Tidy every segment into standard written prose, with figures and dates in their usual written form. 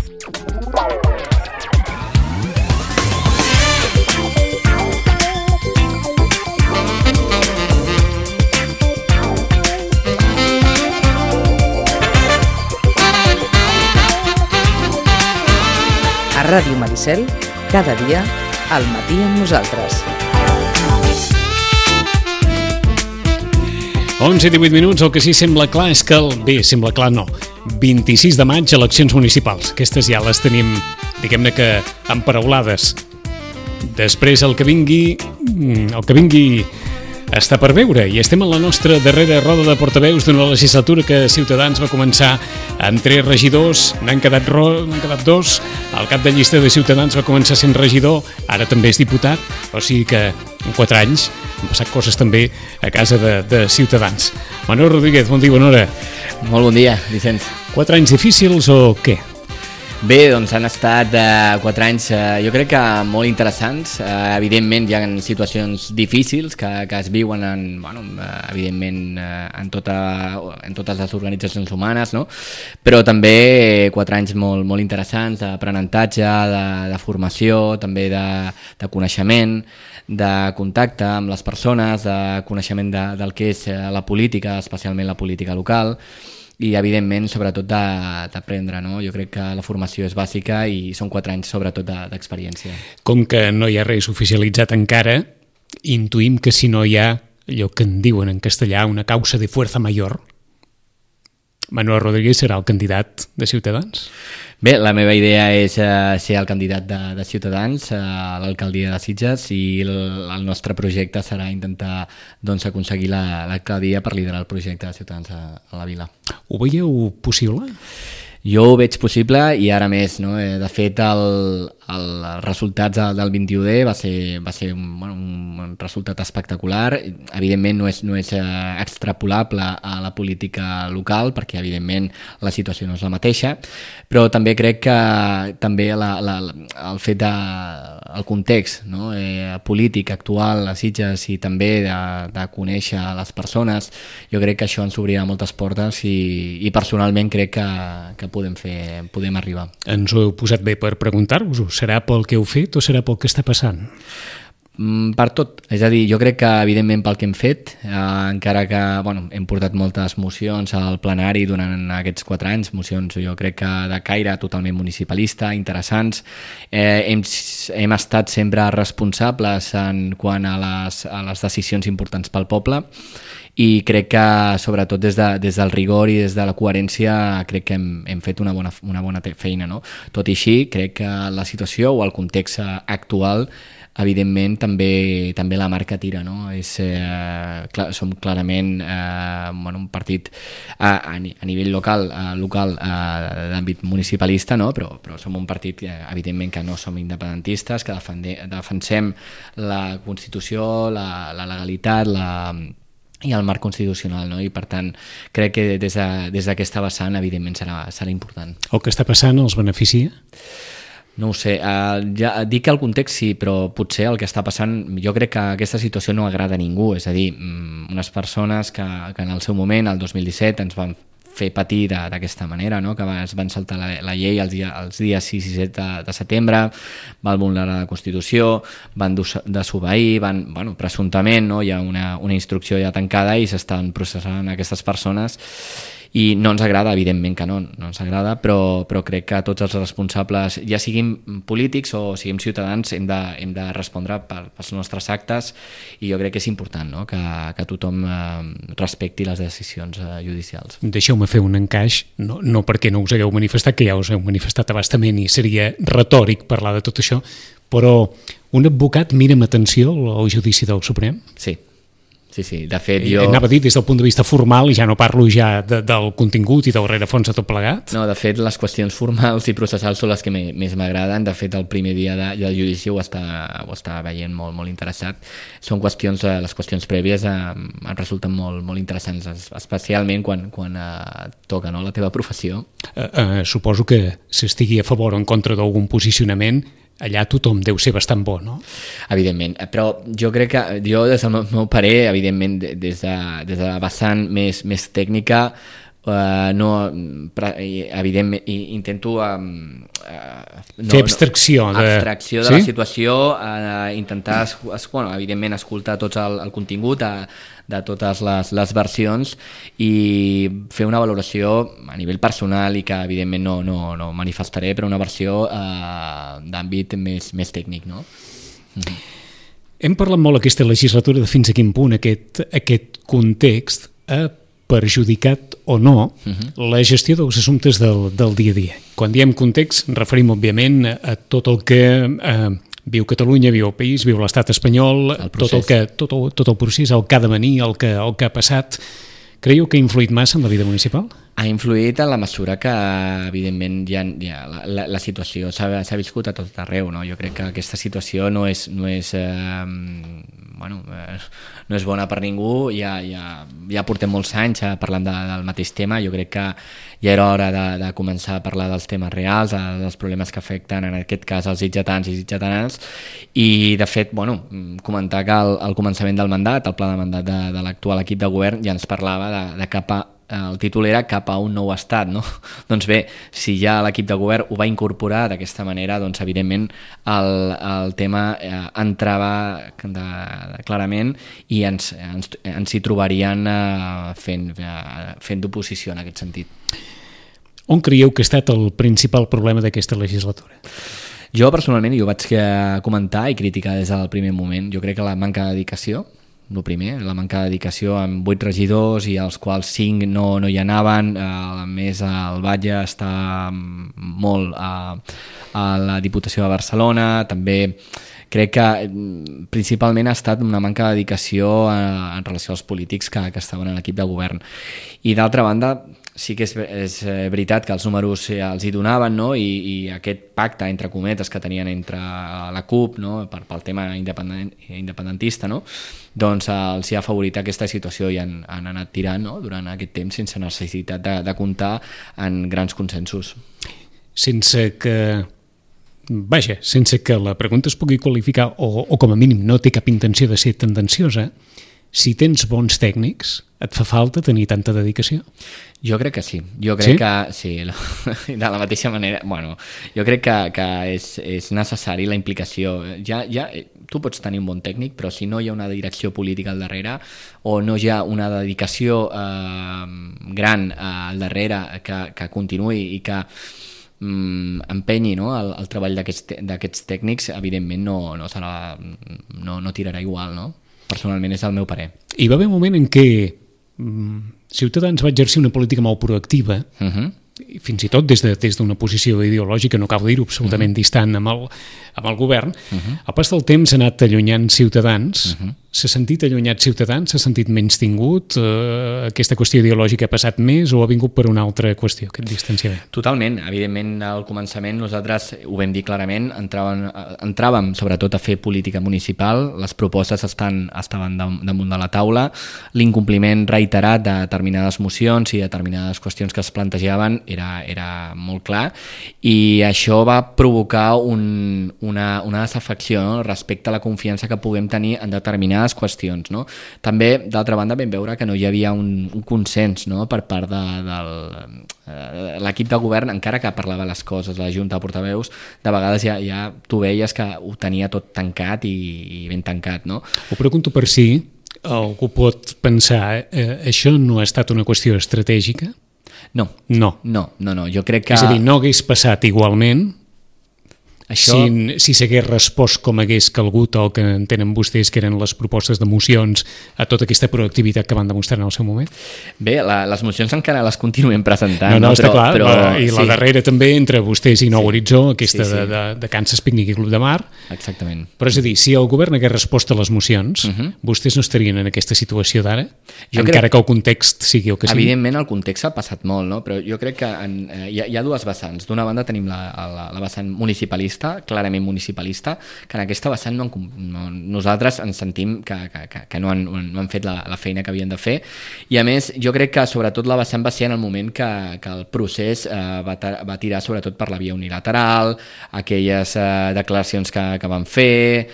A Ràdio Maricel, cada dia, al matí amb nosaltres. 11:18, el que sí sembla clar és que sembla clar no, 26 de maig, eleccions municipals. Aquestes ja les tenim, diguem-ne que emparaulades. Després el que vingui està per veure, i estem en la nostra darrera roda de portaveus d'una legislatura que Ciutadans va començar amb 3 regidors, n'han quedat 2, el cap de llista de Ciutadans va començar sent regidor, ara també és diputat, o sigui que en 4 anys han passat coses també a casa de Ciutadans. Manuel Rodríguez, bon dia, bona hora. Molt bon dia, Vicenç. 4 anys difícils o què? Bé, doncs han estat 4 anys, jo crec que molt interessants. Evidentment hi ha situacions difícils que es viuen evidentment en totes les organitzacions humanes, no? Però també 4 anys molt interessants d'aprenentatge, de formació, també de coneixement, de contacte amb les persones, de coneixement del que és la política, especialment la política local, i evidentment sobretot d'aprendre, no? Jo crec que la formació és bàsica i són 4 anys sobretot d'experiència. Com que no hi ha res oficialitzat encara, intuïm que si no hi ha allò que en diuen en castellà una causa de fuerza mayor, Manuel Rodríguez serà el candidat de Ciutadans? Bé, la meva idea és ser el candidat de Ciutadans a l'alcaldia de Sitges, i el nostre projecte serà intentar aconseguir l'alcaldia per liderar el projecte de Ciutadans a la vila. Ho veieu possible? Jo ho veig possible, i ara més, no? De fet, els resultats del 21D va ser un resultat espectacular. Evidentment no és extrapolable a la política local, perquè evidentment la situació no és la mateixa, però també crec que també el fet el context, no? Polític actual a Sitges, i també de conèixer les persones, jo crec que això ens obrirà moltes portes, i personalment crec que podem arribar. Ens ho heu posat bé per preguntar-vos-ho. Serà pel que heu fet o serà pel que està passant? Per tot, és a dir, jo crec que evidentment pel que hem fet, encara que hem portat moltes mocions al plenari durant aquests 4 anys, mocions jo crec que de caire totalment municipalista, interessants. Hem estat sempre responsables en quant a les decisions importants pel poble, i crec que sobretot des del rigor i des de la coherència crec que hem fet una bona feina, no? Tot i així, crec que la situació o el context actual evidentment també la marca tira, no? Som clarament un partit a nivell local d'àmbit municipalista, no? Però som un partit evidentment que no som independentistes, que defensem la Constitució, la legalitat, i el marc constitucional, no? I per tant crec que des d'aquesta vessant evidentment serà important. El que està passant els beneficia? No ho sé, ja dic que el context sí, però potser el que està passant, jo crec que aquesta situació no agrada a ningú, és a dir, unes persones que en el seu moment, el 2017, ens van fer patir d'aquesta manera, no? Que es van saltar la llei els dies 6 i 7 de setembre, van vulnerar la Constitució, van desobeir, presumptament, no? Hi ha una instrucció ja tancada i s'estan processant aquestes persones, i no ens agrada, evidentment que no ens agrada, però crec que tots els responsables, ja siguin polítics o siguem ciutadans, hem de respondre pels nostres actes, i jo crec que és important, no? Que tothom respecti les decisions judicials. Deixeu-me fer un encaix, no perquè no us hagueu manifestat, que ja us heu manifestat a bastament i seria retòric parlar de tot això, però un advocat mira amb atenció el judici del Suprem? Sí. Sí, de fet jo... Anava a dir des del punt de vista formal, i ja no parlo ja del contingut i del rerefons de tot plegat. No, de fet les qüestions formals i processals són les que més m'agraden. De fet el primer dia del judici ho està veient molt interessat. Són qüestions, les qüestions prèvies em resulten molt interessants, especialment quan toca, no, la teva professió. Suposo que s'estigui a favor o en contra d'algun posicionament, allà tothom deu ser bastant bo, no? Evidentment, però jo crec que, des del meu parer, evidentment, des de la vessant més tècnica, evidentment intento fer abstracció de la situació, intentar evidentment escoltar tot el contingut de totes les versions i fer una valoració a nivell personal i que evidentment no manifestaré, però una versió d'àmbit més tècnic, no? Hem parlat molt aquesta legislatura de fins a quin punt aquest context ha perjudicat o no la gestió dels assumptes del dia a dia. Quan diem context, referim òbviament a tot el que viu Catalunya, viu el país, viu l'estat espanyol, tot el procés, el que ha de venir, el que ha passat. Creieu que ha influït massa en la vida municipal? Ha influït en la mesura que, evidentment, la situació s'ha viscut a tot arreu, no? Jo crec que aquesta situació no és bona per ningú, ja portem molts anys parlant del mateix tema. Jo crec que ja era hora de començar a parlar dels temes reals, dels problemes que afecten en aquest cas els sitgetans i sitgetanes, i de fet, comentar que al començament del mandat, el pla de mandat de l'actual equip de govern ja ens parlava de el títol era cap a un nou estat, no? Doncs bé, si ja l'equip de govern ho va incorporar d'aquesta manera, doncs evidentment el tema entrava clarament i ens hi trobarien fent d'oposició en aquest sentit. On creieu que ha estat el principal problema d'aquesta legislatura? Jo personalment, i ho vaig comentar i criticar des del primer moment, jo crec que la manca de dedicació, el primer, la manca de dedicació amb 8 regidors i als quals 5 no hi anaven. A més, el Batlle està molt a la Diputació de Barcelona. També crec que principalment ha estat una manca de dedicació en relació als polítics que estaven en l'equip de govern. I d'altra banda, sí que és veritat que els números els hi donaven, no? I aquest pacte, entre cometes, que tenien entre la CUP, no? Pel tema independentista, no? Doncs els hi ha afavorit aquesta situació i han anat tirant, no? Durant aquest temps sense necessitat de comptar en grans consensos. Sense que la pregunta es pugui qualificar o com a mínim no té cap intenció de ser tendenciosa, si tens bons tècnics, et fa falta tenir tanta dedicació? Jo crec que sí. Jo crec que sí, de la mateixa manera. Jo crec que és necessari la implicació. Ja tu pots tenir un bon tècnic, però si no hi ha una direcció política al darrere o no hi ha una dedicació gran al darrere que continuï i que empenyi, no, el treball d'aquests tècnics, evidentment no tirarà igual, no? Personalment és el meu parer. Hi va haver un moment en què Ciutadans va exercir una política molt proactiva, fins i tot des d'una posició ideològica, no cal dir-ho, absolutament distant amb el govern. Al pas del temps s'ha anat allunyant Ciutadans. S'ha sentit allunyat Ciutadans? S'ha sentit menys tingut? Aquesta qüestió ideològica ha passat més o ha vingut per una altra qüestió, aquest distanciament? Totalment. Evidentment, al començament nosaltres ho vam dir clarament, entràvem sobretot a fer política municipal, les propostes estaven damunt de la taula, l'incompliment reiterat de determinades mocions i determinades qüestions que es plantejaven era molt clar, i això va provocar una desafecció, no? Respecte a la confiança que puguem tenir en determinades qüestions, no? També, d'altra banda, vam veure que no hi havia un consens, no? Per part de l'equip de govern, encara que parlava les coses, la Junta de Portaveus, de vegades ja tu veies que ho tenia tot tancat i ben tancat, no? Ho pregunto per si algú pot pensar això no ha estat una qüestió estratègica? No, jo crec que... És a dir, no hagués passat igualment això... si s'hagués respost com hagués calgut el que entenen vostès que eren les propostes de mocions a tota aquesta proactivitat que van demostrar en el seu moment? Bé, les mocions encara les continuem presentant. No, està clar, i la darrera també entre vostès i Nou Horitzó, aquesta de Kansas Picnic i Club de Mar. Exactament. Però és a dir, si el govern hagués respost a les mocions, vostès no estarien en aquesta situació d'ara? Encara que el context sigui el que sigui? Evidentment el context ha passat molt, no? Però jo crec que hi ha dues vessants. D'una banda tenim la vessant municipalista, clarament municipalista, que en aquesta vessant nosaltres ens sentim que no han fet la feina que havien de fer, i a més jo crec que sobretot la vessant va ser en el moment que el procés va tirar sobretot per la via unilateral, aquelles declaracions que van fer,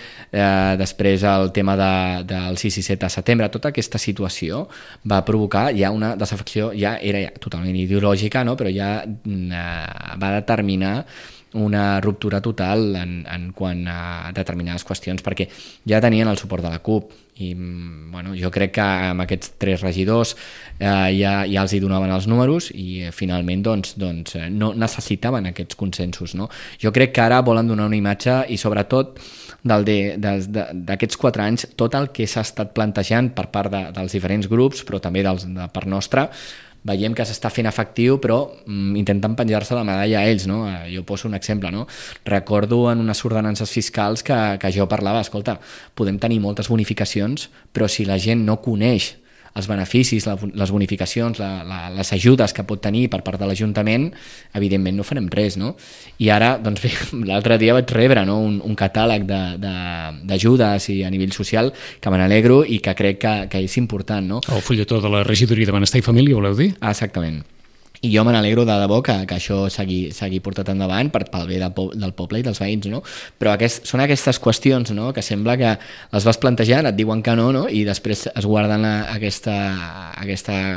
després el tema del 6 i 7 de setembre, tota aquesta situació va provocar ja una desafecció, ja era totalment ideològica, no? Però ja va determinar una ruptura total en quant a determinades qüestions, perquè ja tenien el suport de la CUP i jo crec que amb aquests 3 regidors ja els hi donaven els números i finalment no necessitaven aquests consensos, no? Jo crec que ara volen donar una imatge i sobretot d'aquests 4 anys tot el que s'ha estat plantejant per part dels diferents grups, però també de part nostra, veiem que s'està fent efectiu, però intentant penjar-se la medalla a ells, no? Jo poso un exemple, no? Recordo en unes ordenances fiscals que jo parlava, escolta, podem tenir moltes bonificacions, però si la gent no coneix els beneficis, les bonificacions, les ajudes que pot tenir per part de l'Ajuntament, evidentment no farem res, no? I ara, doncs bé, l'altre dia vaig rebre, no? un catàleg d'ajudes i a nivell social que me n'alegro i que crec que és important, no? El fulletó de la Regidoria de Benestar i Família, voleu dir? Exactament. I jo me n'alegro de debò que això s'hagi portat endavant pel bé del poble i dels veïns, no? Però són aquestes qüestions, no?, que sembla que les vas plantejant, et diuen que no, i després es guarden aquesta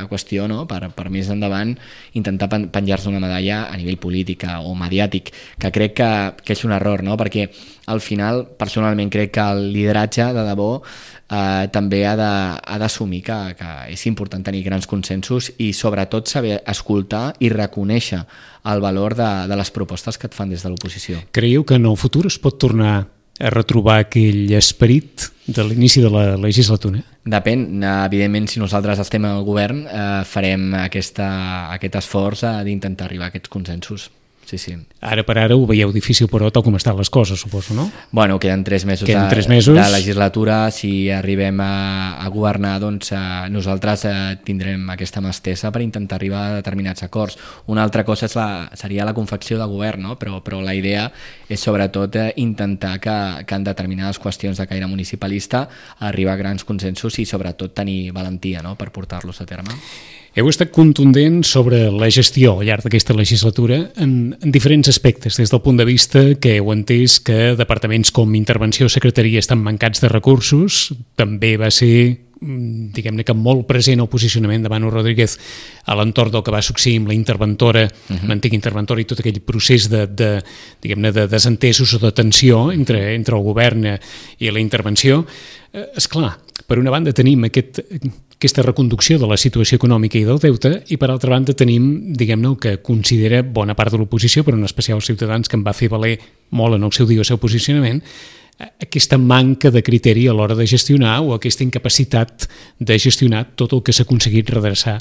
qüestió, no?, per més endavant intentar penjar-se una medalla a nivell polític o mediàtic, que crec que és un error, no?, perquè al final personalment crec que el lideratge de debò també ha d'assumir que és important tenir grans consensos i sobretot saber escoltar i reconèixer el valor de les propostes que et fan des de l'oposició. Creieu que en el futur es pot tornar a retrobar aquell esperit de l'inici de la legislatura? Depèn, evidentment si nosaltres estem al govern farem aquest esforç d'intentar arribar a aquests consensos. Sí. Ara per ara ho veieu difícil, però tal com estan les coses, suposo, no? Bueno, queden 3 mesos de legislatura. Si arribem a governar, doncs nosaltres tindrem aquesta mà estesa per intentar arribar a determinats acords. Una altra cosa seria la confecció de govern, no? Però la idea és sobretot intentar que en determinades qüestions de caire municipalista arribar a grans consensos i sobretot tenir valentia, no?, per portar-los a terme. Heu estat contundent sobre la gestió al llarg d'aquesta legislatura en diferents aspectes, des del punt de vista que heu entès que departaments com Intervenció o Secretaria estan mancats de recursos, també va ser, diguem-ne que molt present el posicionament de Manu Rodríguez a l'entorn del que va succeir amb la interventora, l'antiga interventora i tot aquell procés de desentesos o de tensió entre el govern i la intervenció. Esclar, per una banda tenim aquesta reconducció de la situació econòmica i del deute i per altra banda tenim, diguem-ne, el que considera bona part de l'oposició, però en especial els Ciutadans, que en va fer valer molt en el seu dia el seu posicionament, aquesta manca de criteri a l'hora de gestionar o aquesta incapacitat de gestionar tot el que s'ha aconseguit redreçar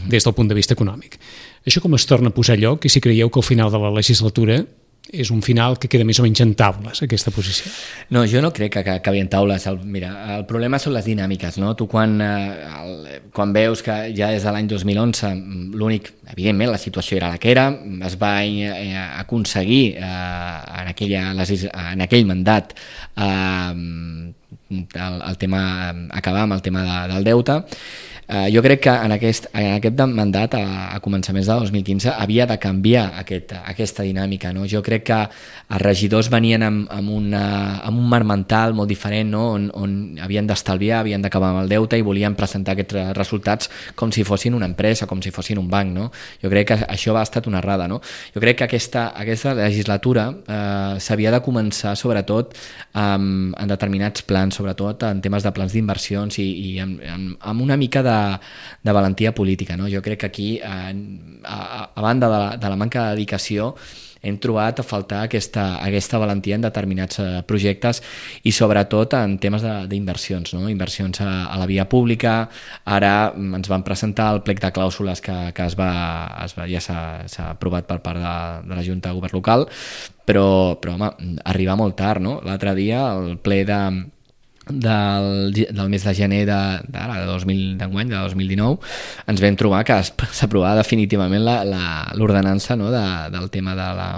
des del punt de vista econòmic. Això com es torna a posar a lloc i si creieu que al final de la legislatura és un final que queda més o menys en taules, aquesta posició? No, jo no crec que acabi en taules. Mira, el problema són les dinàmiques, no? Tu quan veus que ja des de l'any 2011 l'únic, evidentment la situació era la que era, es va aconseguir en aquell mandat acabar amb el tema del deute. Jo crec que en aquest mandat, a començaments de 2015, havia de canviar aquesta dinàmica, no? Jo crec que els regidors venien amb un marc mental molt diferent, no? on havien d'estalviar, havien d'acabar amb el deute i volien presentar aquests resultats com si fossin una empresa, com si fossin un banc, no? Jo crec que això ha estat una errada, no? Jo crec que aquesta legislatura s'havia de començar sobretot en determinats plans, sobretot en temes de plans d'inversions i amb una mica de valentia política, no? Jo crec que aquí, a banda de la manca de dedicació, hem trobat a faltar aquesta valentia en determinats projectes i sobretot en temes d'inversions, no? Inversions a la via pública. Ara ens van presentar el plec de clàusules que ja s'ha aprovat per part de la Junta de Govern Local, però home, arriba molt tard, no? L'altre dia el ple del mes de gener d'enguany, de 2019, ens vam trobar que s'aprovava definitivament l'ordenança, no, del tema de la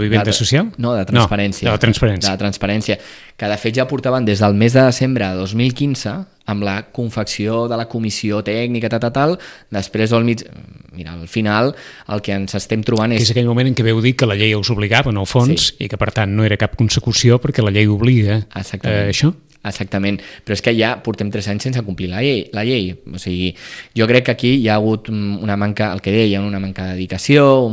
vivenda social? No, de transparència. No, de la transparència. De la transparència, que de fet ja portaven des del mes de desembre de 2015 amb la confecció de la comissió tècnica, tal, després al final el que ens estem trobant és... Que és aquell moment en què veu dir que la llei us obligava, en el fons, i que per tant no era cap consecució perquè la llei obliga a això? Exactament, però és que ja portem 3 anys sense complir la llei. O sigui, jo crec que aquí hi ha hagut una manca, el que deia, una manca de dedicació,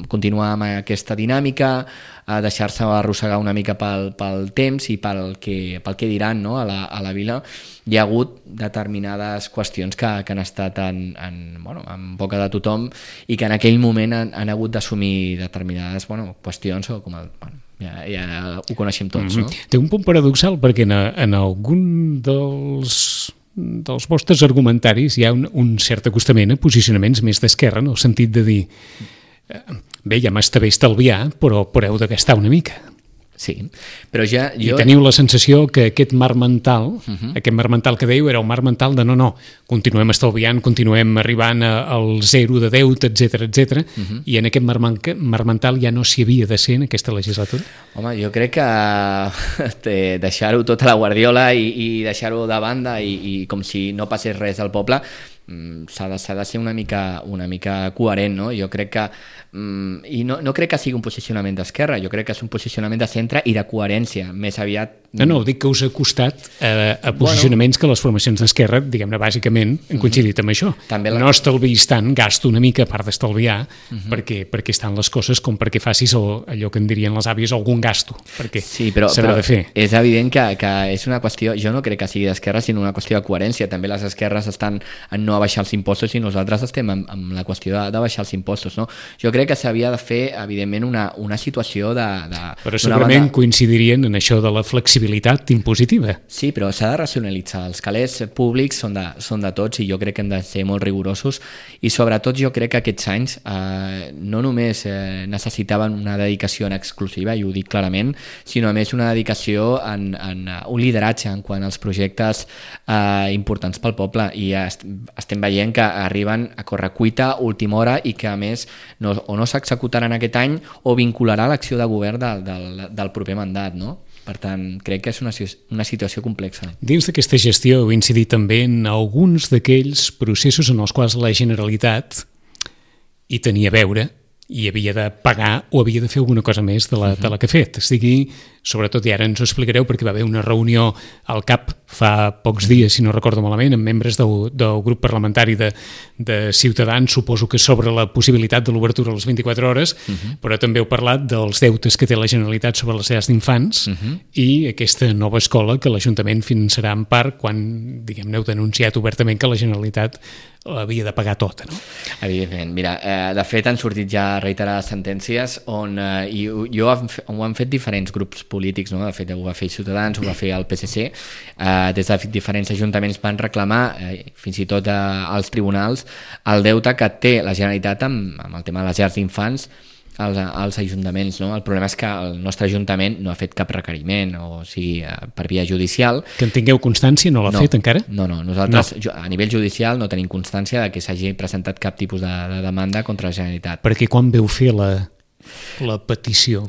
continuar amb aquesta dinàmica, deixar-se arrossegar una mica pel temps i pel que diran, no, a la vila. Hi ha hagut determinades qüestions que han estat en boca de tothom i que en aquell moment han hagut d'assumir determinades qüestions o com ja ho coneixem tots, no? Té un punt paradoxal perquè en algun dels vostres argumentaris hi ha un cert acostament a posicionaments més d'esquerra, en el sentit de dir bé, ja m'està bé estalviar, però heu de gastar una mica. Sí, però ja... I teniu la sensació que aquest mar mental, aquest mar mental que dèieu era un mar mental de no, continuem estalviant, continuem arribant al zero de deute, etc. I en aquest mar mental ja no s'hi havia de ser en aquesta legislatura? Home, jo crec que deixar-ho tot a la guardiola i deixar-ho de banda i com si no passés res al poble s'ha de ser una mica coherent, no? Jo crec que i no crec que sigui un posicionament d'esquerra, jo crec que és un posicionament de centre i de coherència, més aviat... No, dic que us ha costat a posicionaments que les formacions d'esquerra, diguem-ne, bàsicament han coincidit amb això. No estalviïs tant, gasto una mica a part d'estalviar, perquè estan les coses com perquè facis allò que en dirien les àvies, algun gasto, perquè s'ha de fer. És evident que és una qüestió, jo no crec que sigui d'esquerra, sinó una qüestió de coherència. També les esquerres estan en no baixar els impostos i nosaltres estem amb la qüestió de baixar els impostos, no? Jo crec que s'havia de fer, evidentment, una situació de... Però segurament coincidirien en això de la flexibilitat impositiva. Sí, però s'ha de racionalitzar. Els calés públics són de tots i jo crec que hem de ser molt rigorosos i sobretot jo crec que aquests anys no només necessitaven una dedicació en exclusiva, i ho dic clarament, sinó a més una dedicació en un lideratge en quant als projectes importants pel poble, i estem veient que arriben a correcuita, última hora, i que a més o no s'executaran aquest any o vincularà l'acció de govern del proper mandat, no? Per tant, crec que és una situació complexa. Dins d'aquesta gestió heu incidit també en alguns d'aquells processos en els quals la Generalitat hi tenia a veure i havia de pagar o havia de fer alguna cosa més de la que ha fet. Sigui, sobretot, i ara ens ho explicareu, perquè va haver una reunió al CAP fa pocs dies, si no recordo malament, amb membres del grup parlamentari de Ciutadans, suposo que sobre la possibilitat de l'obertura a les 24 hores, però també heu parlat dels deutes que té la Generalitat sobre les llars d'infants i aquesta nova escola que l'Ajuntament finançarà en part quan, diguem-ne, heu denunciat obertament que la Generalitat havia de pagar tota, no? Evidentment. Mira, de fet han sortit ja reiterades sentències on ho han fet diferents grups polítics, no? De fet ho va fer Ciutadans, ho va fer el PSC, des de diferents ajuntaments van reclamar fins i tot als tribunals el deute que té la Generalitat amb el tema de les llars d'infants als ajuntaments, no? El problema és que el nostre ajuntament no ha fet cap requeriment, o sigui, per via judicial. Que en tingueu constància? No l'ha fet encara? No, nosaltres a nivell judicial no tenim constància de que s'hagi presentat cap tipus de demanda contra la Generalitat. Perquè quan veu fer la petició?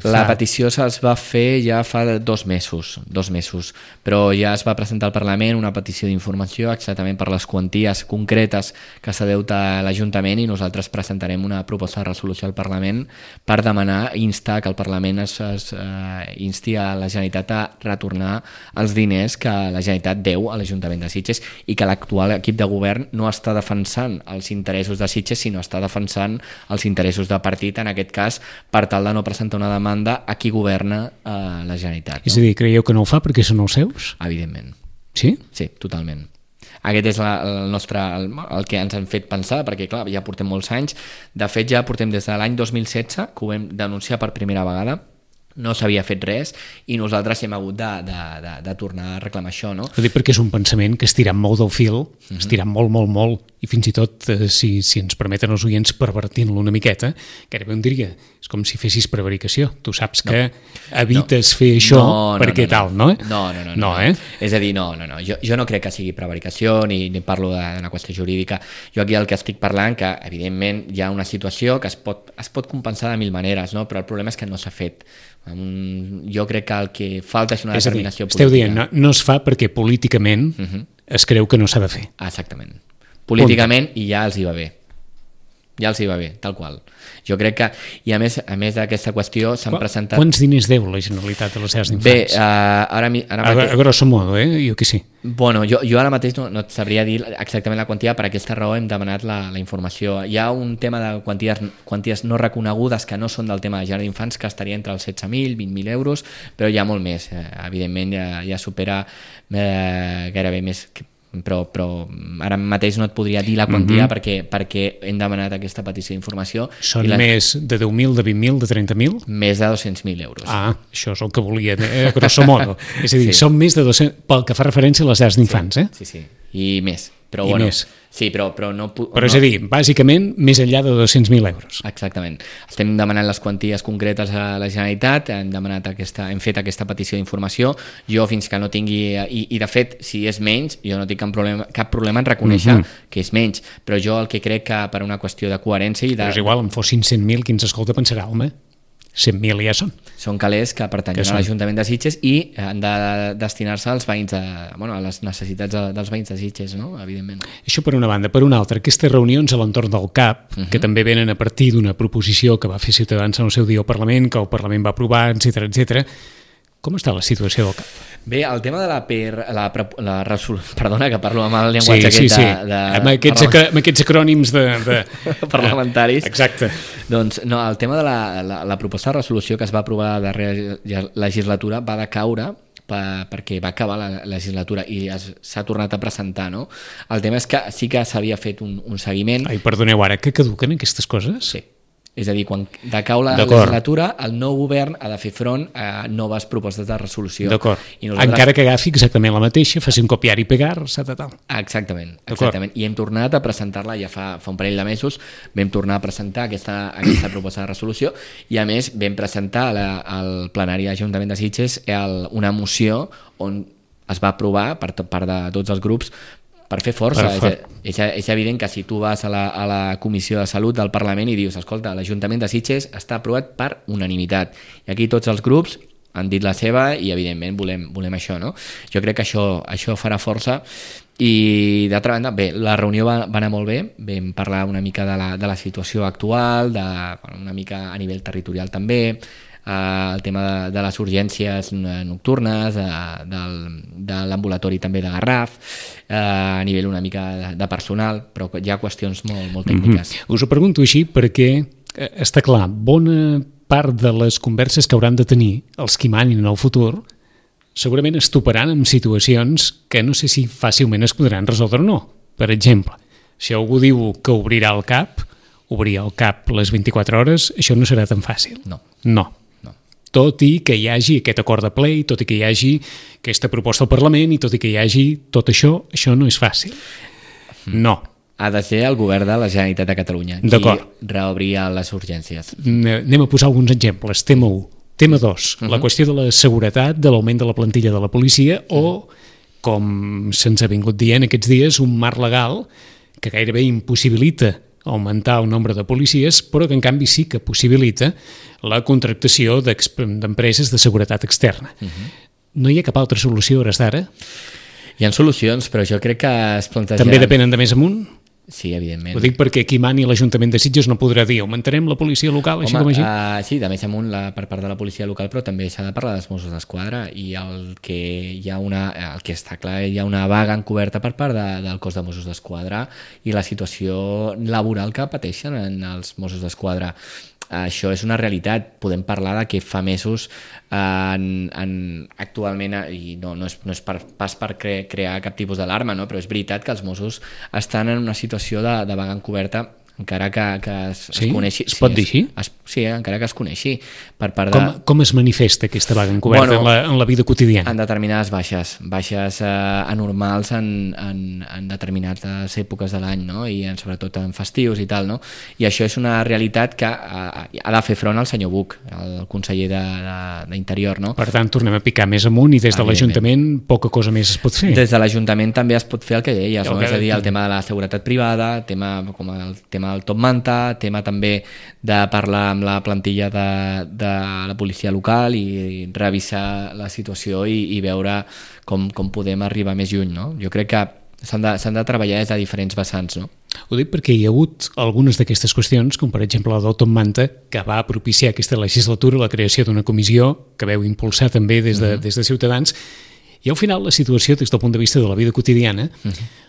La petició se'ls va fer ja fa 2 mesos, però ja es va presentar al Parlament una petició d'informació exactament per les quanties concretes que s'ha deut a l'Ajuntament, i nosaltres presentarem una proposta de resolució al Parlament per demanar, instar que el Parlament insti a la Generalitat a retornar els diners que la Generalitat deu a l'Ajuntament de Sitges, i que l'actual equip de govern no està defensant els interessos de Sitges, sinó està defensant els interessos de partit, en aquest cas per tal de no presentar una demanda a qui governa la Generalitat. És a dir, creieu que no ho fa perquè són els seus? Evidentment. Sí? Sí, totalment. Aquest és el que ens han fet pensar, perquè clar, ja portem molts anys. De fet, ja portem des de l'any 2016, que ho vam denunciar per primera vegada, no s'havia fet res i nosaltres hem hagut de tornar a reclamar això, no? Ho dic perquè és un pensament que estirant molt del fil, estirant molt, i fins i tot, si ens permeten els oients, pervertint-lo una miqueta, gairebé un diria, és com si fessis prevaricació. Tu saps que evites fer això perquè tal, no? No. És a dir, no. Jo no crec que sigui prevaricació ni parlo d'una qüestió jurídica. Jo aquí el que estic parlant, que evidentment hi ha una situació que es pot compensar de mil maneres, no? Però el problema és que no s'ha fet. Jo crec que el que falta és una determinació política. Esteu dient, no es fa perquè políticament es creu que no s'ha de fer. Exactament. Políticament i ja els hi va bé. Ja els hi va bé, tal qual. Jo crec que, i a més d'aquesta qüestió s'han presentat... Quants diners deu la Generalitat a les llars d'infants? Bé, ara mateix... A grosso modo, jo que sí. Bueno, jo ara mateix no et sabria dir exactament la quantia, per aquesta raó hem demanat la informació. Hi ha un tema de quanties no reconegudes que no són del tema de llar d'infants que estaria entre els 16.000, 20.000 euros, però hi ha molt més. Evidentment ja supera gairebé més... Però ara mateix no et podria dir la quantia perquè hem demanat aquesta petició d'informació. Són més de 10.000, de 20.000, de 30.000? Més de 200.000 euros. Això és el que volia, grosso modo. És a dir, són més de 200, pel que fa referència a les llars d'infants, Sí, i més. Però, I més. Sí, però no... Però és a dir, bàsicament, més enllà de 200.000 euros. Exactament. Estem demanant les quanties concretes a la Generalitat, hem fet aquesta petició d'informació. Jo, fins que no tingui... I de fet, si és menys, jo no tinc cap problema en reconèixer que és menys, però jo el que crec que per una qüestió de coherència... Però és igual, en fossin 100.000, qui ens escolta pensarà, home, 100.000 ja són. Són calés que pertanyen a l'Ajuntament de Sitges i han de destinar-se als veïns a les necessitats dels veïns de Sitges, no? Evidentment. Això per una banda. Per una altra, aquestes reunions a l'entorn del CAP, que també venen a partir d'una proposició que va fer Ciutadans en el seu dia al Parlament, que el Parlament va aprovar, etc. Com està la situació del CAP? Bé, el tema de la resolució... Perdona, que parlo amb el llenguatge amb aquests acrònims de parlamentaris. Exacte. Doncs no, el tema de la proposta de resolució que es va aprovar a la darrera legislatura va decaure perquè va acabar la legislatura i s'ha tornat a presentar, no? El tema és que sí que s'havia fet un seguiment... Ai, perdoneu, ara que caduquen aquestes coses? Sí. És a dir, quan decau la legislatura, el nou govern ha de fer front a noves propostes de resolució. D'acord. Encara que agafi exactament la mateixa, faci un copiar i pegar, tal. Exactament. I hem tornat a presentar-la ja fa un parell de mesos, vam tornar a presentar aquesta proposta de resolució i a més vam presentar al plenari de l'Ajuntament de Sitges una moció on es va aprovar per part de tots els grups per fer força. És evident que si tu vas a la Comissió de Salut del Parlament i dius, escolta, l'Ajuntament de Sitges està aprovat per unanimitat i aquí tots els grups han dit la seva i evidentment volem això, no? Jo crec que això farà força i d'altra banda, bé, la reunió va anar molt bé, vam parlar una mica de la situació actual, una mica a nivell territorial també, el tema de les urgències nocturnes, de l'ambulatori també de Garraf, a nivell una mica de personal, però hi ha qüestions molt tècniques. Us ho pregunto així perquè està clar, bona part de les converses que hauran de tenir els que manin en el futur segurament es toparan amb situacions que no sé si fàcilment es podran resoldre o no. Per exemple, si algú diu que obrir el CAP les 24 hores, això no serà tan fàcil. No. Tot i que hi hagi aquest acord de ple, tot i que hi hagi aquesta proposta al Parlament i tot i que hi hagi tot això no és fàcil. No. Ha de ser el govern de la Generalitat de Catalunya qui reobria les urgències. Anem a posar alguns exemples. Tema 1. Tema 2. La qüestió de la seguretat, de l'augment de la plantilla de la policia o, com se'ns ha vingut dient aquests dies, un marc legal que gairebé impossibilita augmentar el nombre de policies, però que en canvi sí que possibilita la contractació d'empreses de seguretat externa. No hi ha cap altra solució a hores d'ara? Hi ha solucions, però jo crec que es planteja... També depenen de més amunt? Sí, evidentment. Ho dic perquè qui mani l'Ajuntament de Sitges no podrà dir augmentarem la policia local, així com així? Sí, de més amunt per part de la policia local, però també s'ha de parlar dels Mossos d'Esquadra i el que està clar, hi ha una vaga encoberta per part del cos de Mossos d'Esquadra i la situació laboral que pateixen els Mossos d'Esquadra. Això és una realitat. Podem parlar de que fa mesos actualment, i no és pas per crear cap tipus d'alarma, no? Però és veritat que els Mossos estan en una situació de vaga encoberta encara que es Sí? coneixi. Es pot dir així? Sí, encara que es coneixi per part de... Com es manifesta aquesta vaga encoberta en la vida quotidiana? En determinades baixes anormals en determinades èpoques de l'any, no? I sobretot en festius i tal, no? I això és una realitat que ha de fer front al senyor Buch, el conseller d'Interior, no? Per tant, tornem a picar més amunt i des de l'Ajuntament poca cosa més es pot fer. Des de l'Ajuntament també es pot fer el que deies, no? És a dir, el tema de la seguretat privada, com el tema del top manta, tema també de parlar amb la plantilla de la policia local i revisar la situació i veure com podem arribar més lluny, no? Jo crec que s'han de treballar des de diferents vessants, no? Ho dic perquè hi ha hagut algunes d'aquestes qüestions, com per exemple la del top manta, que va propiciar aquesta legislatura la creació d'una comissió que veu impulsar també des de Ciutadans, i al final la situació des del punt de vista de la vida quotidiana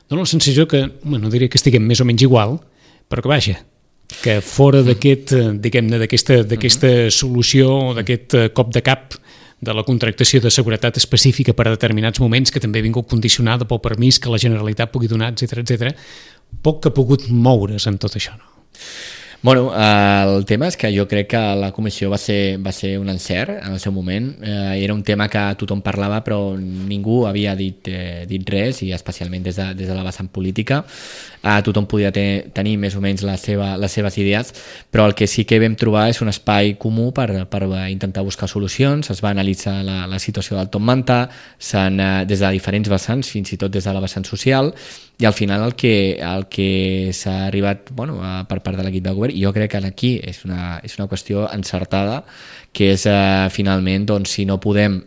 dona la sensació que, no diré que estiguem més o menys igual, però que vaja, que fora d'aquest, diguem-ne, d'aquesta solució o d'aquest cop de cap de la contractació de seguretat específica per a determinats moments, que també ha vingut condicionada pel permís que la Generalitat pugui donar, etc, poc que ha pogut moure's en tot això, no? Bueno, el tema és que jo crec que la comissió va ser un encert en el seu moment. Era un tema que tothom parlava però ningú havia dit res, i especialment des de la vessant política. Tothom podia tenir més o menys les seves idees, però el que sí que vam trobar és un espai comú per intentar buscar solucions. Es va analitzar la situació del top manta des de diferents vessants, fins i tot des de la vessant social, i al final el que s'ha arribat per part de l'equip de govern, i jo crec que aquí és una qüestió encertada, que és finalment, doncs, si no podem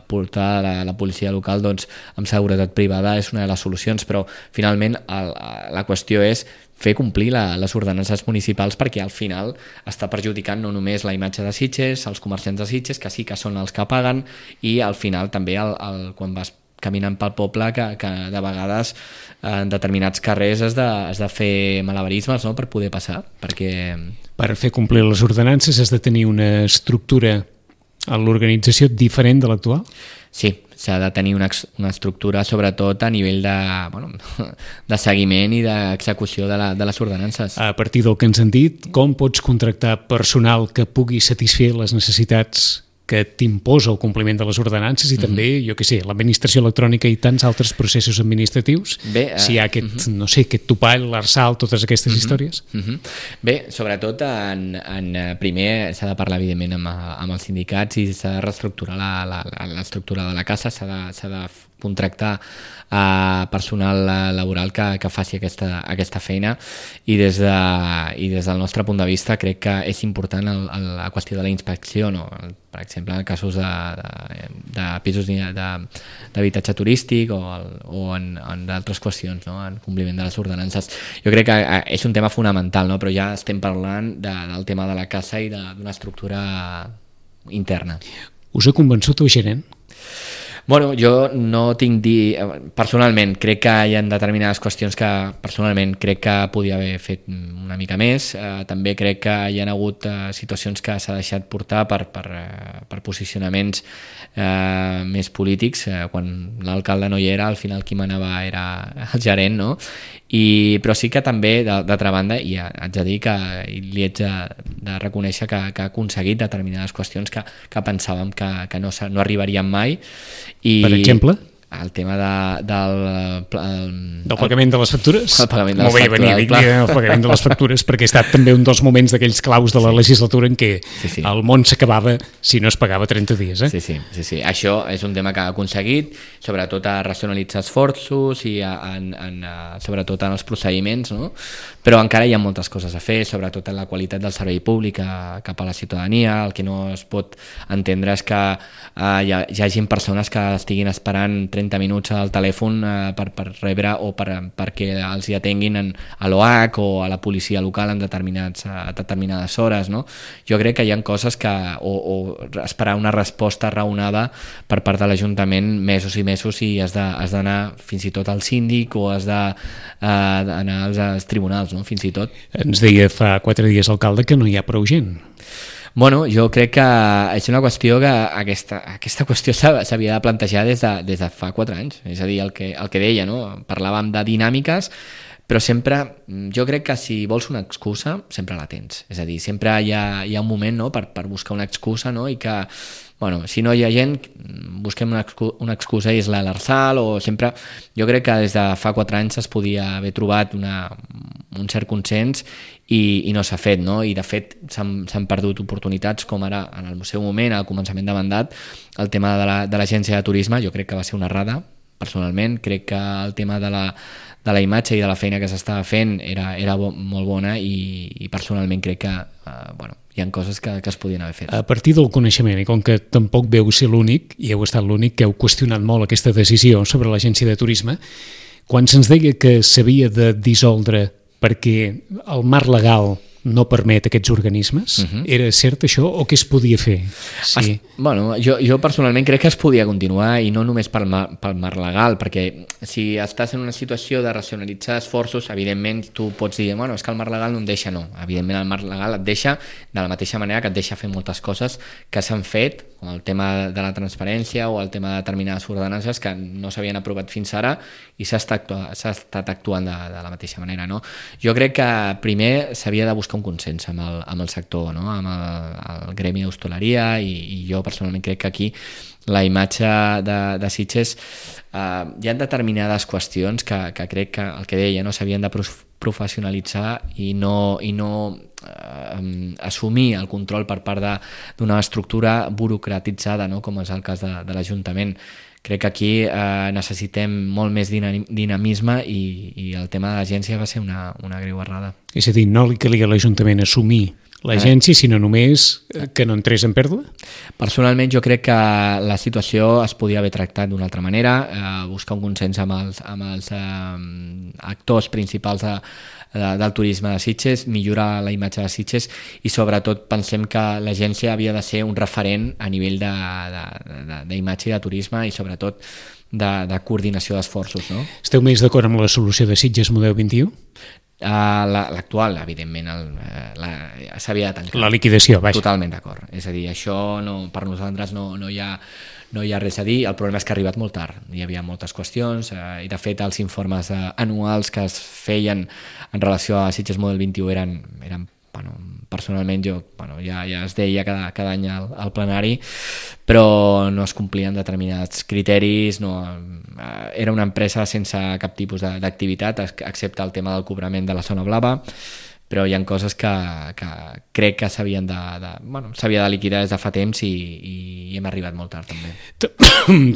portar la policia local, doncs amb seguretat privada és una de les solucions, però finalment la qüestió és fer complir les ordenances municipals, perquè al final està perjudicant no només la imatge de Sitges, els comerciants de Sitges, que sí que són els que paguen, i al final també quan vas caminant pel poble, que de vegades en determinats carrers has de fer malabarismes, no?, per poder passar, perquè... Per fer complir les ordenances has de tenir una estructura a l'organització diferent de l'actual? Sí, s'ha de tenir una estructura sobretot a nivell de seguiment i d'execució de les ordenances. A partir del que ens han dit, com pots contractar personal que pugui satisfer les necessitats que t'imposa el compliment de les ordenances i també, jo què sé, l'administració electrònica i tants altres processos administratius? Si hi ha aquest, no sé, aquest topall, l'ARSAL, totes aquestes històries? Bé, sobretot primer s'ha de parlar evidentment amb els sindicats i s'ha de reestructurar l'estructura de la casa, s'ha de contractar personal laboral que faci aquesta feina, i des del nostre punt de vista crec que és important la qüestió de la inspecció, no? Per exemple, en casos de pisos d'habitatge turístic o en d'altres qüestions, no?, en compliment de les ordenances. Jo crec que és un tema fonamental, no?, però ja estem parlant del tema de la casa i d'una estructura interna. Us ha convençut el gerent? Bueno, jo no tinc dir... Personalment, crec que hi ha determinades qüestions que personalment crec que podia haver fet una mica més. També crec que hi ha hagut situacions que s'ha deixat portar per posicionaments més polítics. Quan l'alcalde no hi era, al final qui manava era el gerent, no? Però sí que també, d'altra banda, i haig de dir que li haig de reconèixer que ha aconseguit determinades qüestions que pensàvem que no arribarien mai. Per exemple? El tema del pagament de les factures? El pagament de les factures. Molt bé, el pagament de les factures, perquè ha estat també un dels moments d'aquells claus de la legislatura en què el món s'acabava si no es pagava 30 dies. Sí. Això és un tema que ha aconseguit, sobretot a racionalitzar esforços i sobretot en els procediments, no? Però encara hi ha moltes coses a fer, sobretot en la qualitat del servei públic cap a la ciutadania. El que no es pot entendre és que hi hagi persones que estiguin esperant 30 minuts al telèfon per rebre o perquè els hi atenguin a l'OH o a la policia local en determinades hores, no? Jo crec que hi ha coses o esperar una resposta raonada per part de l'Ajuntament mesos i mesos, i has d'anar fins i tot al síndic o has d'anar als tribunals, no? Fins i tot. Ens deia fa 4 dies l'alcalde que no hi ha prou gent. Bueno, jo crec que és una qüestió que aquesta qüestió s'havia de plantejar des de fa 4 anys. És a dir, el que deia, no? Parlàvem de dinàmiques, però sempre, jo crec que si vols una excusa, sempre la tens. És a dir, sempre hi ha un moment, no?, per buscar una excusa, no?, i que, bueno, si no hi ha gent, busquem una excusa i és l'Arsal, o sempre... Jo crec que des de fa 4 anys es podia haver trobat un cert consens i no s'ha fet, no? I de fet s'han perdut oportunitats, com ara en el seu moment, al començament de mandat, el tema de l'agència de turisme, jo crec que va ser una errada, personalment. Crec que el tema de la imatge i de la feina que s'estava fent era molt bona i personalment crec que hi ha coses que es podien haver fet. A partir del coneixement, i com que tampoc veu ser l'únic, i heu estat l'únic que heu qüestionat molt aquesta decisió sobre l'agència de turisme, quan se'ns deia que s'havia de dissoldre perquè el marc legal no permet aquests organismes, era cert això o què es podia fer? Sí. Bueno, jo personalment crec que es podia continuar i no només pel marc legal, perquè si estàs en una situació de racionalitzar esforços, evidentment tu pots dir, bueno, és que el marc legal no em deixa, no. Evidentment el marc legal et deixa, de la mateixa manera que et deixa fer moltes coses que s'han fet, com el tema de la transparència o el tema de determinades ordenances que no s'havien aprovat fins ara i s'ha estat actuant de la mateixa manera, no? Jo crec que primer s'havia de buscar un consens amb el sector, no? Amb el gremi d'hostaleria i jo personalment crec que aquí la imatge de Sitges hi ha determinades qüestions que crec que el que deia, no, s'havien de professionalitzar i no assumir el control per part d'una estructura burocratitzada, no? Com és el cas de l'Ajuntament. Crec que aquí necessitem molt més dinamisme i el tema de l'agència va ser una greu errada. És a dir, no li calia a l'Ajuntament assumir l'agència, sinó només que no entrés en pèrdua? Personalment jo crec que la situació es podia haver tractat d'una altra manera, buscar un consens amb els actors principals del turisme de Sitges, millorar la imatge de Sitges i sobretot pensem que l'agència havia de ser un referent a nivell d'imatge i de turisme i sobretot de coordinació d'esforços, no? Esteu més d'acord amb la solució de Sitges Model 21? L'actual, evidentment, s'havia de tancar. La liquidació, vaja. Totalment d'acord. És a dir, això per nosaltres no hi ha res a dir. El problema és que ha arribat molt tard. Hi havia moltes qüestions i, de fet, els informes anuals que es feien en relació a Sitges Model 21 eren personalment ja es deia cada any al plenari, però no es complien determinats criteris, era una empresa sense cap tipus d'activitat, excepte el tema del cobrament de la zona blava, però hi ha coses que crec que s'havia de liquidar des de fa temps i hem arribat molt tard també.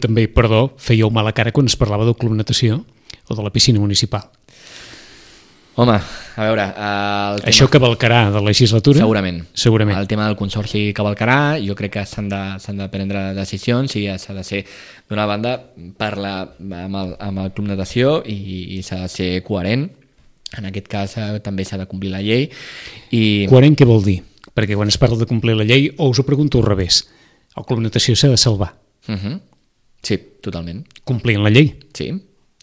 També, perdó, fèieu mala cara quan es parlava del club natació o de la piscina municipal. Home, a veure... Això cavalcarà de legislatura? Segurament. El tema del consorci cavalcarà, jo crec que s'han de prendre decisions i s'ha de ser, d'una banda, parlar amb el club natació i s'ha de ser coherent. En aquest cas també s'ha de complir la llei. Coherent què vol dir? Perquè quan es parla de complir la llei, o us ho pregunto al revés, el club natació s'ha de salvar. Sí, totalment. Complint la llei?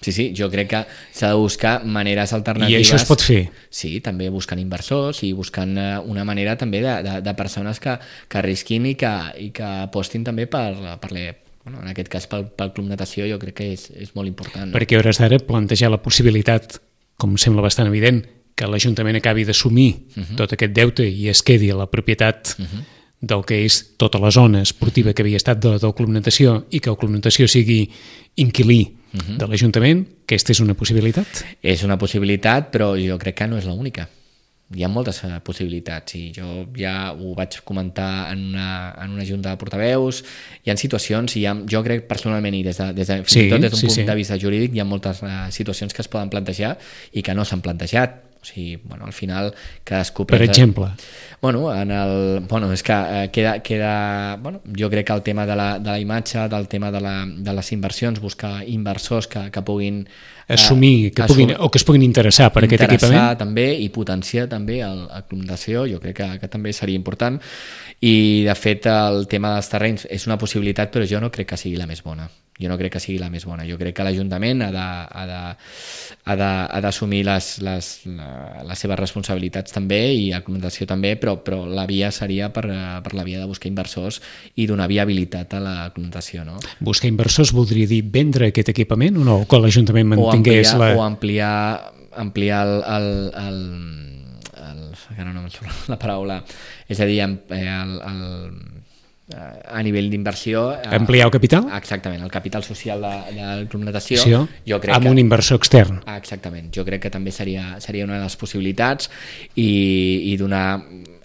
Sí, jo crec que s'ha de buscar maneres alternatives. I això es pot fer? Sí, també buscant inversors i buscant una manera també de persones que arrisquin i que apostin també en aquest cas pel club natació. Jo crec que és molt important. Perquè a hores d'ara plantejar la possibilitat, com sembla bastant evident, que l'Ajuntament acabi d'assumir tot aquest deute i es quedi a la propietat del que és tota la zona esportiva que havia estat del club natació i que el club natació sigui inquilí de l'Ajuntament, aquesta és una possibilitat? És una possibilitat, però jo crec que no és l'única. Hi ha moltes possibilitats i jo ja ho vaig comentar en una junta de portaveus. Hi ha situacions, jo crec personalment i des d'un punt de vista jurídic hi ha moltes situacions que es poden plantejar i que no s'han plantejat. O sigui, al final cadascú... Per exemple? És que queda... Jo crec que el tema de la imatge, del tema de les inversions, buscar inversors que puguin... Assumir, o que es puguin interessar per aquest equipament. Interessar també i potenciar també el club natació, jo crec que també seria important. I, de fet, el tema dels terrenys és una possibilitat, però jo no crec que sigui la més bona. Jo crec que l'Ajuntament ha d'assumir les seves responsabilitats també i la comunicació també, però la via seria per la via de buscar inversors i donar viabilitat a la comunicació, no? Buscar inversors voldria dir vendre aquest equipament o no? O que l'Ajuntament mantingués o ampliar ampliar que no em surt la paraula, és a dir, a nivell d'inversió... Ampliar el capital? Exactament, el capital social del Club Natació. Sí, jo crec amb un inversor extern. Exactament, jo crec que també seria una de les possibilitats i donar,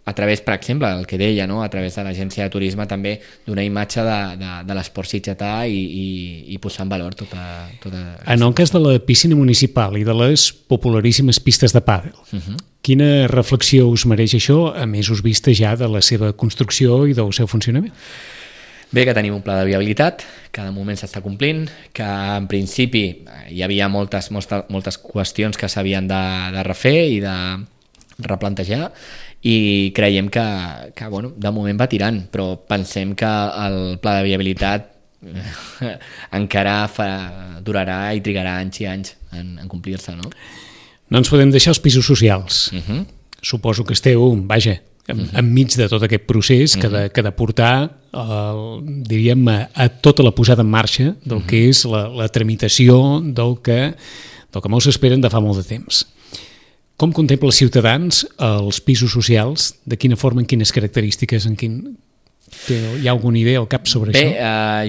a través, per exemple, el que deia, no? A través de l'agència de turisme també donar imatge de l'esport sitgetà i posar en valor tota... En el cas de la piscina municipal i de les popularíssimes pistes de pàdel, quina reflexió us mereix això a mesos vista ja de la seva construcció i del seu funcionament? Bé, que tenim un pla de viabilitat, que de moment s'està complint, que en principi hi havia moltes qüestions que s'havien de refer i de replantejar, i creiem que bueno, de moment va tirant, però pensem que el pla de viabilitat encara durarà i trigarà anys i anys en complir-se, no? No ens podem deixar els pisos socials. Suposo que esteu, enmig de tot aquest procés que ha de portar, diríem, a tota la posada en marxa del que és la tramitació del que molts esperen de fa molt de temps. Com contempla els ciutadans els pisos socials? De quina forma, en quines característiques, hi ha alguna idea al cap sobre això? Bé,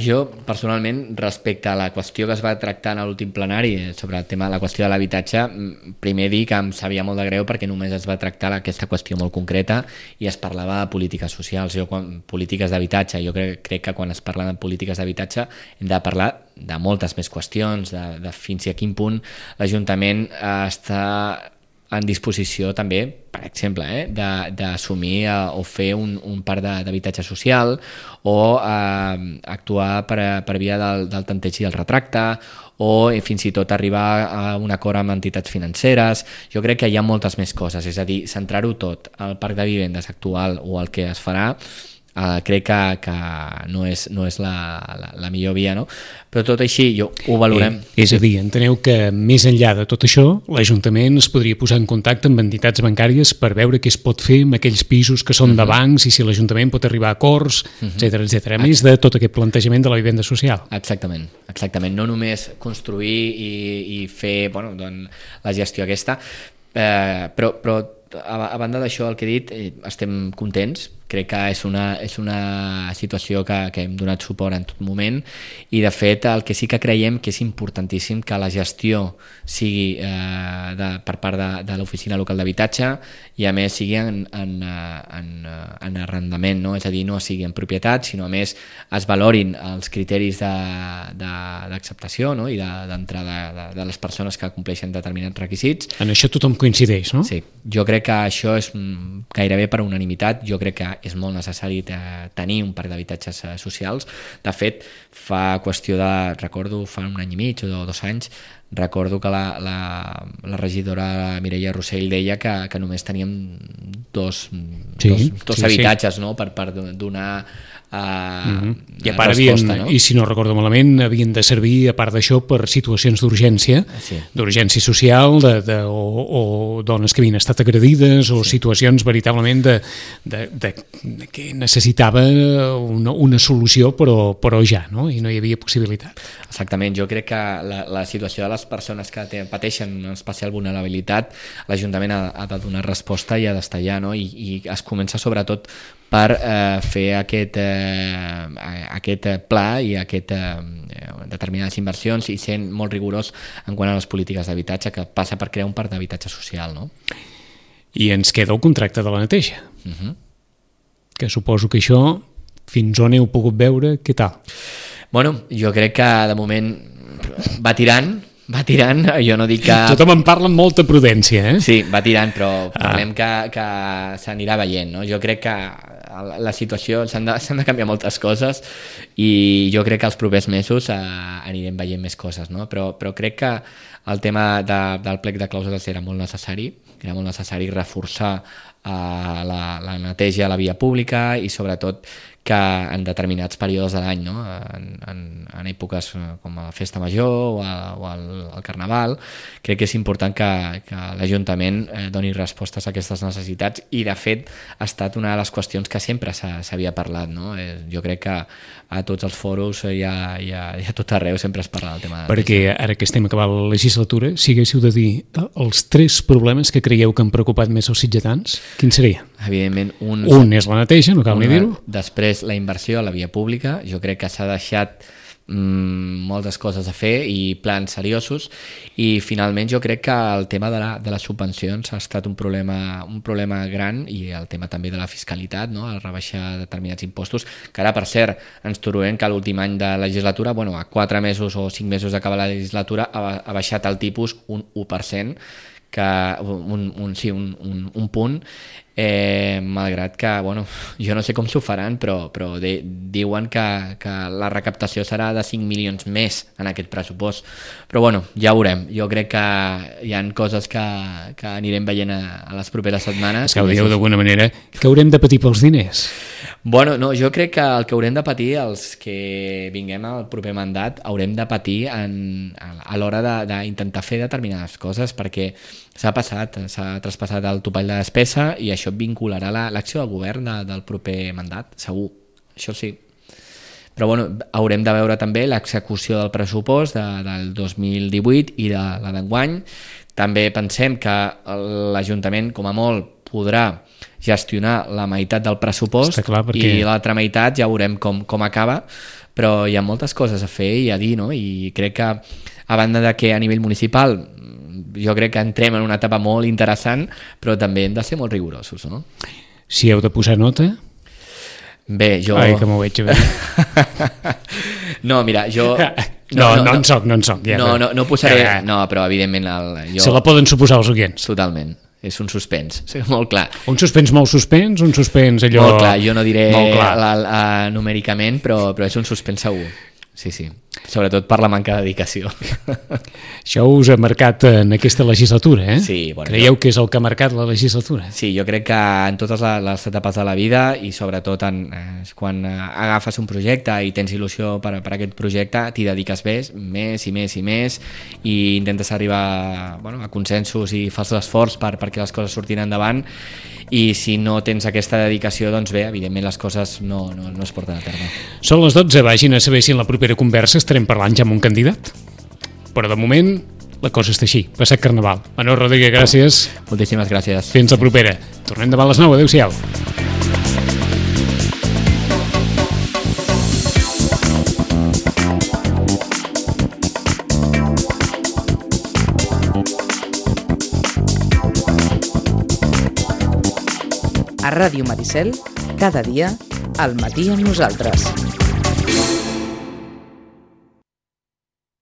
jo personalment, respecte a la qüestió que es va tractar en l'últim plenari sobre el tema de la qüestió de l'habitatge, primer dir que em sabia molt de greu perquè només es va tractar aquesta qüestió molt concreta i es parlava de polítiques socials, polítiques d'habitatge. Jo crec que quan es parla de polítiques d'habitatge hem de parlar de moltes més qüestions, de fins i a quin punt l'Ajuntament està en disposició també, per exemple, d'assumir o fer un parc d'habitatge social o actuar per via del tanteig i el retracte o fins i tot arribar a un acord amb entitats financeres. Jo crec que hi ha moltes més coses, és a dir, centrar-ho tot al parc de vivendes actual o al que es farà, crec que no és la millor via, no? Però tot així ho valorem. És a dir, enteneu que més enllà de tot això, l'Ajuntament es podria posar en contacte amb entitats bancàries per veure què es pot fer amb aquells pisos que són de bancs i si l'Ajuntament pot arribar a acords, etc. A més de tot aquest plantejament de la vivenda social. Exactament. No només construir i fer la gestió aquesta, però a banda d'això, el que he dit, estem contents. Crec que és una situació que hem donat suport en tot moment i, de fet, el que sí que creiem que és importantíssim que la gestió sigui per part de l'oficina local d'habitatge i, a més, sigui en arrendament, no? És a dir, no sigui en propietat, sinó, a més, es valorin els criteris d'acceptació, no? I d'entrada de les persones que compleixen determinats requisits. En això tothom coincideix, no? Sí, jo crec que això és gairebé per unanimitat. Jo crec que és molt necessari tenir un parc d'habitatges socials. De fet, recordo fa un any i mig o 2 anys, recordo que la regidora Mireia Rossell deia que només teníem dos habitatges, no? Per donar i a part resposta, no? I si no recordo malament, havien de servir, a part d'això, per situacions d'urgència, d'urgència social, o dones que havien estat agredides, o situacions veritablement que necessitava una solució, però ja, no? I no hi havia possibilitat. Exactament, jo crec que la situació de les persones que pateixen una especial vulnerabilitat, l'Ajuntament ha de donar resposta i ha d'estar allà, no? I es comença sobretot per fer aquest pla i determinades inversions i sent molt rigorós en quant a les polítiques d'habitatge, que passa per crear un parc d'habitatge social, no? I ens queda el contracte de la neteja, que suposo que això, fins on heu pogut veure, què tal? Bueno, jo crec que de moment va tirant, jo no dic que... Tothom en parla amb molta prudència, eh? Sí, va tirant, però parlem que s'anirà veient, no? Jo crec que la situació, s'han de canviar moltes coses i jo crec que els propers mesos anirem veient més coses, no? Però crec que el tema del plec de clàusules era molt necessari reforçar la neteja a la via pública i, sobretot, que en determinats períodes de l'any, no? En èpoques com la Festa Major o el Carnaval, crec que és important que l'Ajuntament doni respostes a aquestes necessitats i, de fet, ha estat una de les qüestions que sempre s'havia parlat, no? Jo crec que a tots els foros i a tot arreu sempre es parla del tema. Perquè ara que estem acabant la legislatura, si haguéssiu de dir els 3 problemes que creieu que han preocupat més els sitgetans, quins serien? Evidentment, un és la neteja, no cal ni dir-ho. Després, la inversió a la via pública. Jo crec que s'ha deixat moltes coses a fer i plans seriosos, i finalment jo crec que el tema de les subvencions ha estat un problema gran, i el tema també de la fiscalitat, no? El rebaixar determinats impostos, que ara, per cert, ens trobem que l'últim any de legislatura, a 4 mesos o 5 mesos d'acabar la legislatura, ha baixat el tipus un 1%, un punt, malgrat que, jo no sé com s'ho faran, però diuen que la recaptació serà de 5 milions més en aquest pressupost. Però ja veurem. Jo crec que hi ha coses que anirem veient a les properes setmanes. És que ho dieu d'alguna manera, que haurem de patir pels diners. No, jo crec que el que haurem de patir, els que vinguem al proper mandat, haurem de patir a l'hora d'intentar fer determinades coses, perquè s'ha traspassat el topall de despesa, i això vincularà l'acció del govern del proper mandat, segur, això sí. Però haurem de veure també l'execució del pressupost del 2018 i de la d'enguany. També pensem que l'Ajuntament, com a molt, podrà gestionar la meitat del pressupost, i l'altra meitat ja veurem com acaba, però hi ha moltes coses a fer i a dir, no? I crec que, a banda de que a nivell municipal jo crec que entrem en una etapa molt interessant, però també hem de ser molt rigorosos, no? Si heu de posar nota... Bé, jo... Ai, que m'ho veig bé. No, mira, jo... No en soc. No posaré... No, però evidentment... Se la poden suposar els oients. Totalment. És un suspens, molt clar. Un suspens molt suspens, un suspens allò... Molt clar, jo no diré numèricament, però és un suspens segur. Sí. Sobretot per la manca de dedicació. Això us ha marcat en aquesta legislatura, eh? Sí. Creieu que és el que ha marcat la legislatura? Sí, jo crec que en totes les etapes de la vida, i sobretot quan agafes un projecte i tens il·lusió per aquest projecte, t'hi dediques més i més, i intentes arribar a consensos i fas l'esforç perquè les coses surtin endavant, i si no tens aquesta dedicació, doncs bé, evidentment les coses no es porten a terme. Són les 12, vagin a saber si en la propera conversa estarem parlant ja amb un candidat. Però de moment la cosa està així. Passat Carnaval. Manol Rodríguez, gràcies. Moltíssimes gràcies. Fins la propera. Tornem demà a les 9. Adéu-siau. A Ràdio Maricel, cada dia, al matí amb nosaltres.